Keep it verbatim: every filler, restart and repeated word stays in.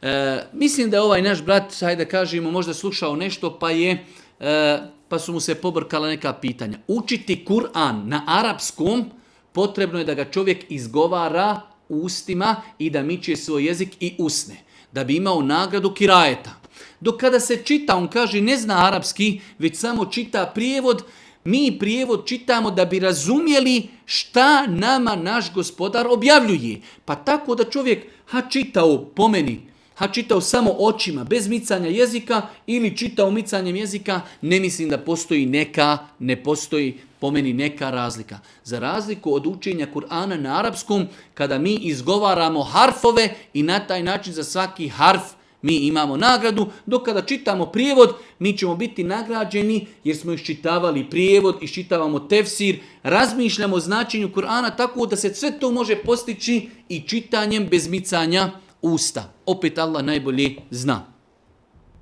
E, mislim da je ovaj naš brat, hajde da kažemo, možda slušao nešto pa je, e, pa su mu se pobrkala neka pitanja. Učiti Kur'an na arapskom, potrebno je da ga čovjek izgovara ustima i da miče svoj jezik i usne, da bi imao nagradu kirajeta. Dok kada se čita, on kaže ne zna arapski, već samo čita prijevod, mi prijevod čitamo da bi razumjeli šta nama naš gospodar objavljuje. Pa tako da čovjek ha čitao po meni, ha čitao samo očima, bez micanja jezika ili čitao micanjem jezika, ne mislim da postoji neka, ne postoji po meni neka razlika. Za razliku od učenja Kur'ana na arapskom, kada mi izgovaramo harfove i na taj način za svaki harf mi imamo nagradu, dok kada čitamo prijevod, mi ćemo biti nagrađeni jer smo iščitavali prijevod, iščitavamo tefsir, razmišljamo o značenju Kur'ana tako da se sve to može postići i čitanjem bez micanja usta. Opet Allah najbolje zna.